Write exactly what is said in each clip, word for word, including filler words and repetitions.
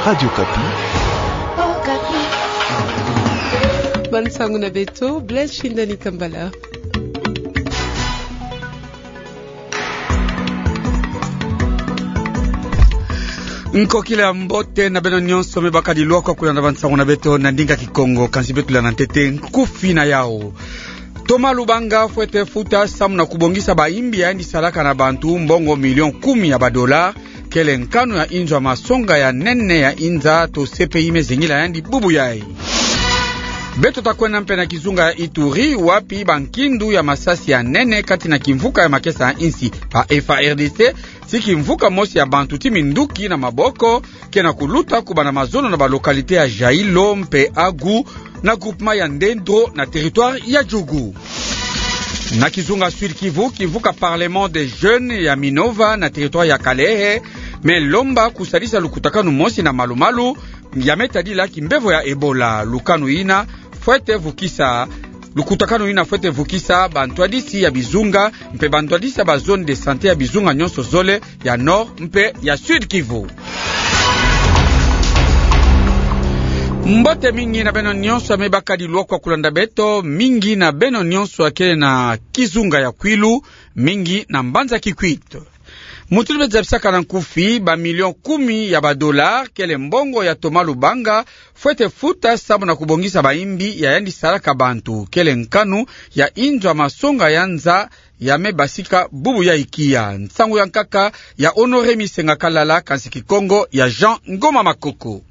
Radio Okapi. Bansango na beto, Blaise Shindani Kambala. Nkokila mbote na beno nyonso me bakadi lwakwa kulanda bansango na beto na ndinga Kikongo, kansi beto landa ntete nkufi na yau. Thomas Lubanga fwete futa samu na kubongisa bayimbi yandi salaka na bantu mbongo million kumi ya badola, kele nkanu ya inzo ya masonga ya nene ya inza to C P I me zengila yandi bubu yai. Beto ta kwenda mpe na kizunga ya Ituri, wapi bankindu ya masasi ya nene kati na kimvuka ya makesa ya insi ba F A R D C, ti kimvuka mosi ya bantu ti minduki na maboko, ke na kuluta kubanda mazono na ba localité ya Jailo mpe Agu, na groupement ya Ndendro na territoire ya Djugu. Na kizunga Sud-Kivu, kimvuka Parlement des Jeunes ya Minova na territoire ya Kalehe me lomba kusalisa lukutakanu mosi na malumalu ya me tadila kimbevo ya Ebola. Lukanu yina fwete vukisa, lukutakanu yina fwete vukisa bantwadisi ya bizunga mpe bantwadisi ya ba zone de santé ya bizunga nyonso zole ya Nord mpe ya Sud-Kivu. Mbote mingi na beno nyonso ya me bakadi lwakwa kulanda beto, mingi na beno nyonso ya kele na kizunga ya Kwilu, mingi na mbanza Kikwit. Mutindu be zabisaka na nkufi, ba million kumi ya ba dollars kele mbongo ya Thomas Lubanga fwete futa samu na kubongisa bayimbi ya yandi salaka bantu, kele nkanu ya inzo ya masonga ya nza ya me basika bubu ya ikia. Nsangu ya nkaka ya Honoré Misenga Kalala, kansi Kikongo ya Jean Ngoma Makoko.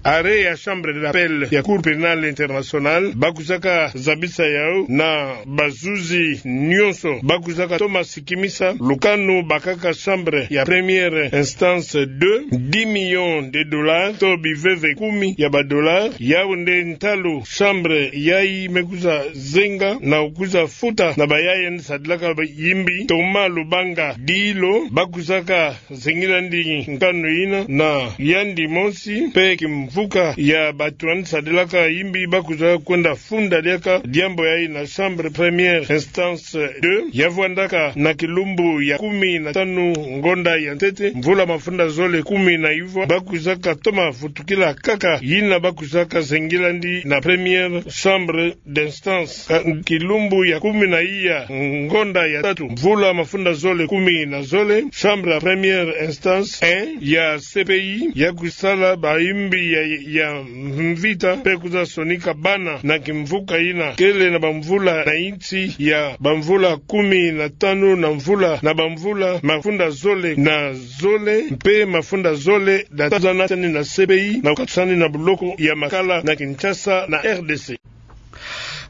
Arrêt ya Chambre de l'appel ya Cour pénale internationale, ba kwisaka zabisa yau na bazuzi nyonso, ba kwisaka toma sikimisa lukanu bakaka chambre ya première instance deux, dix millions de dollars, to biveve kumi ya ba dollars, yau nde ntalu chambre yai me kwiza zenga na kwiza futa na bayaya yandi sadilaka bayimbi Thomas Lubanga Dilo, ba kwisaka zengila yandi nkanu yina na yandi mosi, mpe kimvuka ya bantu yandi sadilaka yimbi ba kwiza kwenda funda diaka diambu yai na chambre première instance deux, ya vwandaka na kilumbu ya kumi na tanu ngonda ya ntete, mvula mafunda zole kumi na ivwa, ba kwisaka toma vutukila kaka yina ba kwisaka zengila yandi na première chambre d'instance. Ka-, kilumbu ya kumi na iya ngonda ya tatu, mvula mafunda zole kumi na zole, chambre ya première instance un ya C P I ya kwisala bayimbi ya, ya mvita mpe kwiza sonika bana na kimvuka yina kele na bamvula na insi ya bamvula kumi na tanu na mvula, na bamvula mafunda zole na zole mpe mafunda zole na tanu, zana tiani na C P I na kukatusa yandi na buloko ya makala na Kinshasa na R D C.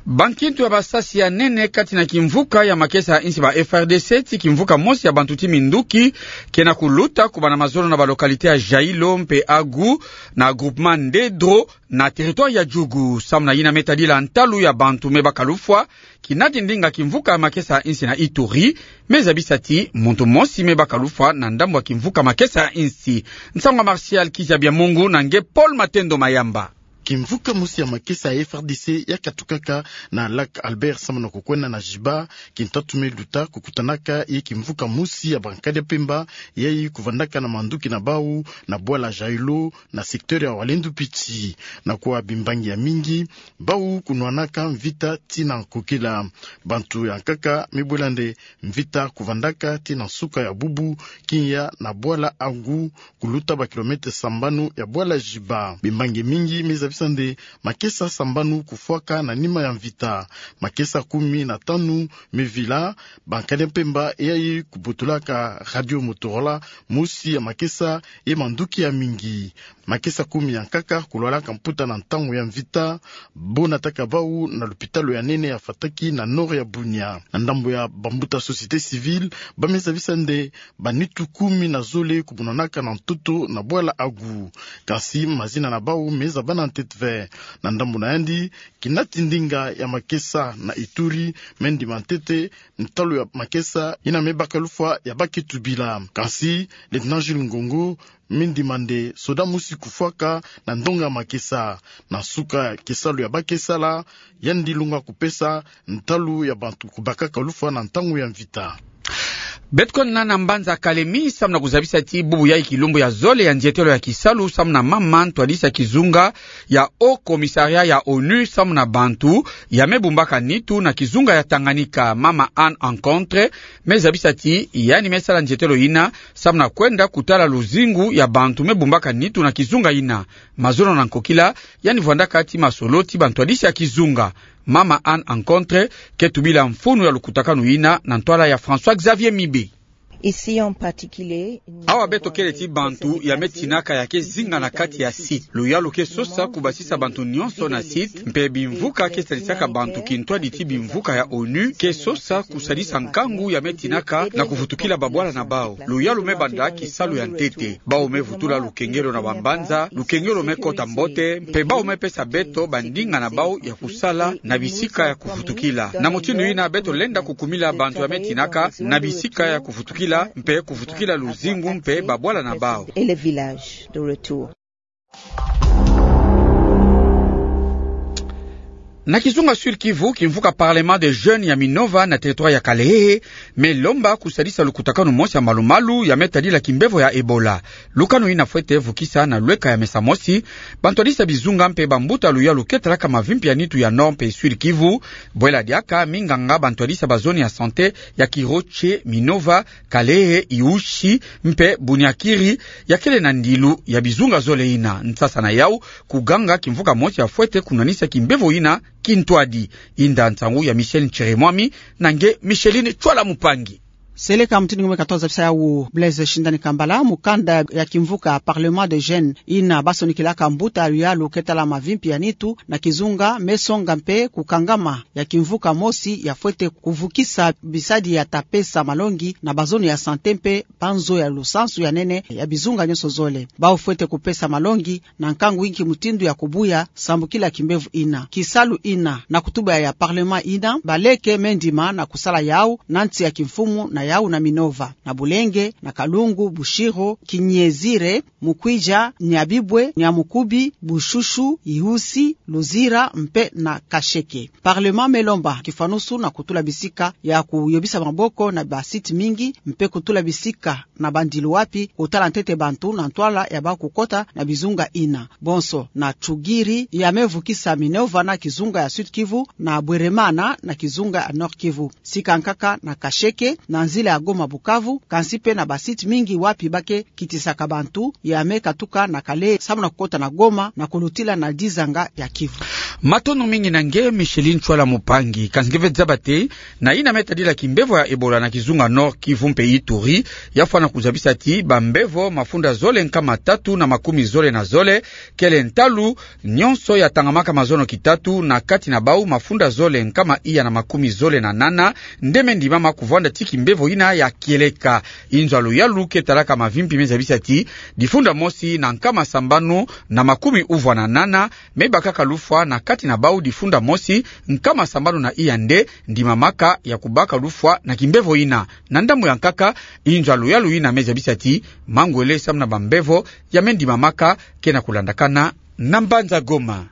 Bankindu ya masasi ya nene kati na kimvuka ya makesa ya insi ba F A R D C, ti kimvuka mosi ya bantu ti minduki, ke na kuluta kubanda mazono na ba localité ya Jailo mpe Agu na groupement Ndendro na territoire ya Djugu. Samu na yina me tadila ntalu ya bantu me baka lufwa, kinadi ndinga kimvuka ya makesa ya insi na Ituri me zabisa ti muntu mosi me baka lufwa na ndambu ya kimvuka makesa ya insi. Nsangu ya Martial Kiziabiamungu na nge Paul Matendo Mayamba. Kimvuka mosi ya makesa ya F A R D C ya katukaka na Lac Albert samu na kukwenda na Giba, kintatu me luta kukutanaka ye kimvuka mosi ya bankadi ya mpemba, yai kuvandaka na manduki na bau na bwala Jailo na secteur ya Walendu Piti. Na kuwa bimbangi ya mingi, bau kunwanaka mvita tii na nkokila. Bantu ya nkaka me bwela nde mvita kuvandaka tii na nsuka ya bubu, kiya na bwala Agu, kuluta ba kilomètre sambanu ya bwala Giba. Bimbangi mingi me zabisa nde makesa sambanu kufwaka na nima ya mvita. Makesa kumi na tanu me vila, bankadi ya mpemba yai kubotolaka radio Motorola, mosi ya makesa ye manduki ya mingi. Makesa kumi ya nkaka kulwalaka mputa na ntangu ya mvita, bo nataka bau na lupitalu ya nene ya Fataki na nord ya Bunia. Na ndambu ya bambuta société civile, ba me zabisa nde banitu kumi na zole kubundanaka na ntoto na bwala Agu. Kansi mazina na bau me zabana ntete ve. Na ndambu na yandi, kinati ndinga ya makesa na Ituri me ndima ntete ntalu ya makesa yina me baka lufwa ya baki tubila. Kansi Lieutenant Jules Ngongo me ndima nde soda mosi kufwaka na ndonga ya makesa. Na nsuka ya kisalu ya baki sala, yandi lunga kupesa ntalu ya bantu kubakaka lufwa na ntangu ya mvita. Beto kwenda na mbanza Kalemi, samu na kuzabisa ti bubu yayi kilumbu ya zole ya nzietelo ya kisalu samu na mama ntwadisi ya kizunga ya Haut Commissariat ya onu samu na bantu ya me bumbaka nitu na kizunga ya Tanganyika, mama Anne Encontre, me zabisa ti yandi me sala nzietelo yina samu na kwenda kutala luzingu ya bantu me bumbaka nitu na kizunga yina. Mazono na nkokila, yandi vwandaka ti masolo ti bantwadisi ya kizunga. Mama Anne Encontre ke tubila mfunu ya lukutakanu yina na ntwala ya François Xavier Mibe. Ici en particulier, awa beto kele ti bantu ya me tinaka ya ke zinga na kati ya site. Luyalu ke sosa kubasisa bantu nyonso na site, mpe bimvuka ke sadisaka bantu kintwadi ti bimvuka ya onu ke sosa kusadisa nkangu ya me tinaka na kuvutukila babwala na bau. Luyalu me banda kisalu ya ntete. Bau me vutula lukengelo na bambanza, lukengelo me kota mbote, mpe bau me pesa beto bandinga na bau ya kusala na bisika ya kuvutukila. Na mutindu yina beto lenda kukumila bantu ya me tinaka na bisika ya kuvutukila, mpe kuvutukila luzingu mpe babwala na bau. Et les villages de retour. Na kizunga Sud-Kivu, kimvuka Parlement des Jeunes ya Minova na territoire ya Kalehe me lomba kusadisa lukutakanu mosi ya malumalu ya me tadila kimbevo ya Ebola. Lukanu yina fwete vukisa na lweka ya mesa mosi bantwadisi ya bizunga mpe bambuta luyalu ke talaka mavimpi ya nitu ya Nord mpe Sud-Kivu. Bwela diaka minganga, bantwadisi ya bazone ya santé ya Kiroche, Minova, Kalehe, Iushi mpe Bunyakiri ya kele na ndilu ya bizunga zole yina. Nsasa na yau, kuganga kimvuka mosi ya fwete kunwanisa kimbevo yina kintwadi. Inda nsangu ya Michel Nchiremwami na nge Micheline Chwala Mupangi. Seleka mutindu nge me katoza bisa yau Blaise Shindani Kambala, mukanda ya kimvuka Parlement des Jeunes yina basonikilaka mbuta luyalu ke tala mavimpi ya nitu na kizunga, me songa mpe kukangama ya kimvuka mosi ya fwete kuvukisa bisadi ya ta pesa malongi na bazone ya santé mpe banzo ya lusansu ya nene ya bizunga nyonso zole. Bau fwete kupesa malongi na nkangu inki mutindu ya kubuya sambukila kimbevo yina. Kisalu yina na kutuba ya Parlement yina, baleke me ndima na kusala yau na nsi ya kimfumu na yau na Minova, na Bulenge, na Kalungu, Bushiro, Kinyezire, Mukwidja, Nyabibwe, Nyamukubi, Bushushu, Iusi, Luzira mpe na Kasheke. Parlement me lomba kifwanusu na kutula bisika ya kuyobisa maboko na ba site mingi, mpe kutula bisika na bandilu wapi kutala ntete bantu na ntwala ya bau kukota na bizunga yina. Bonso na Tchugiri ya me vukisa Minova na kizunga ya Sud-Kivu, na Bweremana na kizunga ya Nord-Kivu. Sika nkaka na Kasheke, na nzila ya Goma-Bukavu, kansi mpe na ba site mingi wapi ba ke kitisaka bantu ya me katuka na Kalehe samu na kukota na Goma na kulutila na dizanga ya Kivu. Matondo mingi na nge Micheline Chwala Mupangi. Kansi nge ve zaba te, na yina me tadila kimbevo ya Ebola na kizunga Nord-Kivu mpe Ituri, ya fwana kuzabisa ti bambevo mafunda zole nkama tatu na makumi zole na zole kele ntalu nyonso ya tangamaka mazono kitatu, na kati na bau mafunda zole nkama iya na makumi zole na nana nde me ndimama kuvwanda ti kimbevo yina ya kieleka. Inzo ya luyalu ke talaka mavimpi me zabisa ti difunda mosi na nkama sambanu na makumi uvwa na nana me bakaka lufwa, na kati na bau difunda mosi nkama sambanu na iya nde ndimamaka ya kubaka lufwa na kimbevo yina. Na ndambu ya nkaka, inzo ya luyalu yina me zabisa ti mangwele samu na bambevo ya me ndimamaka ke na kulandakana na mbanza Goma.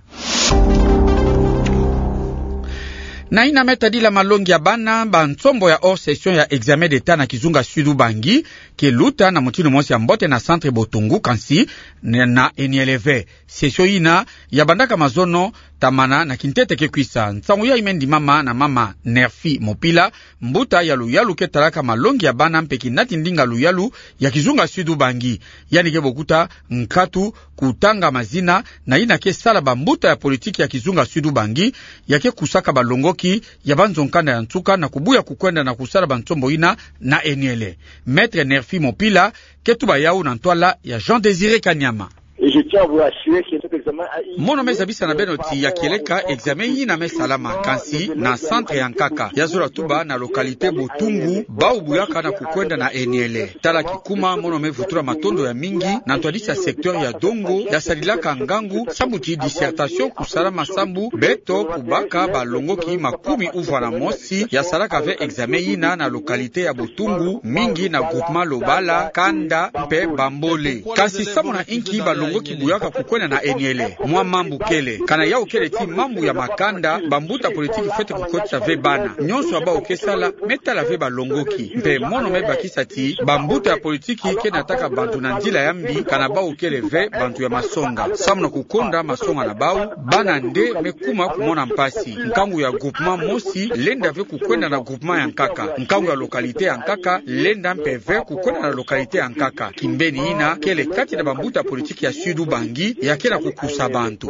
Na yina me tadila malongi ya bana, bansombo ya hors session ya examen d'État na kizunga Sud-Ubangi ke luta na mutindu mosi ya mbote na centre Botungu, kansi na, na Eniele ve. Session yina ya bandaka mazono tamana na kintete ke kwisa. Nsangu yayi me ndimama na mama Nerfi Mopila, mbuta ya luyalu ke talaka malongi ya bana mpe kinati ndinga luyalu ya kizunga Sud-Ubangi. Yandi ke bokuta nkatu kutanga mazina na yina ke sala bambuta ya politiki ya kizunga Sud-Ubangi, ya ke kusaka balongoki ya banzo nkanda ya nsuka na kubuya kukwenda na kusala bansombo yina na Eniele. Maître Nerfi Mopila ke tuba yau na ntwala ya Jean Désiré Kanyama. Et je tiens à vous rassurer que cet examen a été... Mono me zabisa na beno ti ya kieleka examen yina me salama, kansi na centre ya nkaka. Ya zola tuba na localité Botungu, bau buyaka na kukwenda na Eniele. Tala kikuma, mono me vutula matondo ya mingi na ntwadisi ya secteur ya Dongo ya sadilaka ngangu sambu ti dissertation kusalama sambu beto kubaka balongoki makumi uvwa na mosi ya salaka ve examen yina na localité ya Botungu, mingi na groupement Lobala, Kanda mpe Bambole. Kansi samu na inki balongoki ki buyaka kukwenda na enyele. Mwa mambu kele, kana yau kele ti mambu ya makanda, bambuta politiki fwete kukotisa ve bana. Nyonso ya bau ke sala, me tala ve balongoki. Mpe mono me bakisa ti, bambuta ya politiki ke nataka bantu na nzila ya mbi, kana bau kele ve bantu ya masonga. Samu na kukonda masonga na bau, bana nde me kuma kumona mpasi. Nkangu ya groupement mosi, lenda ve kukwenda na groupement ya nkaka. Nkangu ya localité ya nkaka, lenda mpe ve kukwenda na localité ya nkaka. Kimbeni ina, kele kati na bambuta politiki ya Sud-Ubangi, ya ke na kukusa bantu.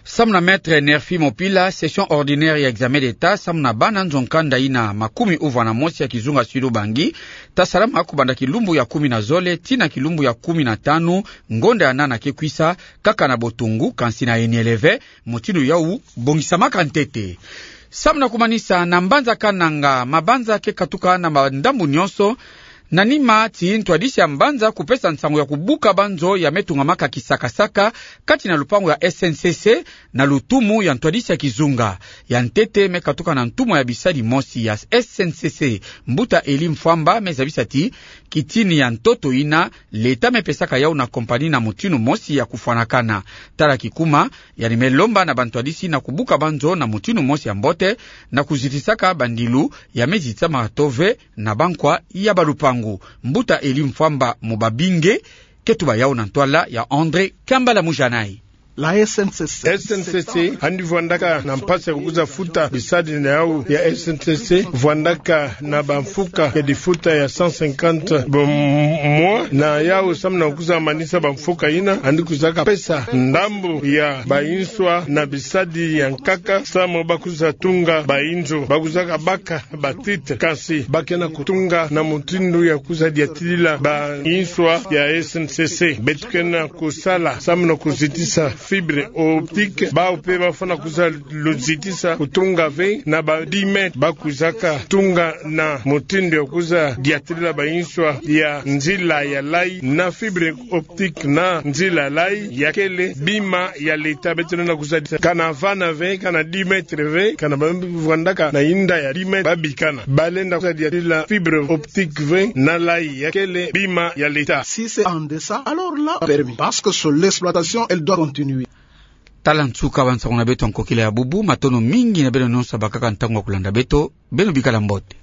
Samu na Maître Nerfi Mopila, session ordinaire ya examen d'État, samu na bana nzo nkanda ina makumi uvwa na mosi ya kizunga Sud-Ubangi, ta salama kubanda kilumbu ya kumi na zole, tii na kilumbu ya kumi na tanu, ngonda ya nana ke kwisa, kaka na botungu, kansi na enyele ve, mutindu yau bongisamaka ntete. Samu na kumanisa, na mbanza Kananga, mabanza ke katuka na mandambu nyonso, na nima ti ntwadisi ya mbanza kupesa nsangu ya kubuka banzo ya me tungamaka kisakasaka, kati na lupangu ya S N C C, na lutumu ya ntwadisi ya kizunga. Ya ntete me katuka na ntumwa ya bisadi mosi ya S N C C, mbuta Elie Mfwamba, me zabisa ti, kitini ya ntoto ina, Leta me pesaka yau na compagnie na mutindu mosi ya kufwanakana. Tala kikuma, yandi me lomba na bantwadisi na kubuka banzo na mutindu mosi ya mbote, na kuzitisaka bandilu ya me zitisama to ve na bankwa ya balupangu. Mbuta Elie Mfwamba mu babinge, ke tuba yau na ntwala ya André Kambala Mujanai. La S N C C. S N C C, yandi vwandaka na mpasi ya kukwiza futa bisadi na yau ya S N C C, vwandaka na bamfuka ya difuta ya cent cinquante bo mwa, na yau samu na kukwiza manisa bamfuka ina, yandi kwizaka pesa ndambu ya bainswa na bisadi ya nkaka, samu bakwiza tunga bainzo, bakwizaka baka ba titre, kansi ba ke na kutunga na mutindu ya kwiza diatilila bainswa ya S N C C. Beto ke na kusala samu na kuzitisa fibre optique, bau mpe bafwana kwiza luzitisa kutunga ve na ba dix mètres, bakwizaka tunga na mutindu ya kwiza diatilila bainswa ya nzila ya layi na fibre optique na nzila layi ya kele bima ya leta. Beto lenda kwiza disa kana vana ve, kana dix mètres ve, kana ba vwandaka na inda ya dix mètres, babikana. Balenda kwiza diatilila fibre optique ve na layi ya kele bima ya leta. Si c'est en deçà, alors là, permis. Parce que sur l'exploitation, elle doit continuer. Tala nsuka ba nsangu na beto ya nkokila ya bubu, matondo mingi na beno nyonso bakaka ntangu ya kulanda beto, beno bikala mbote.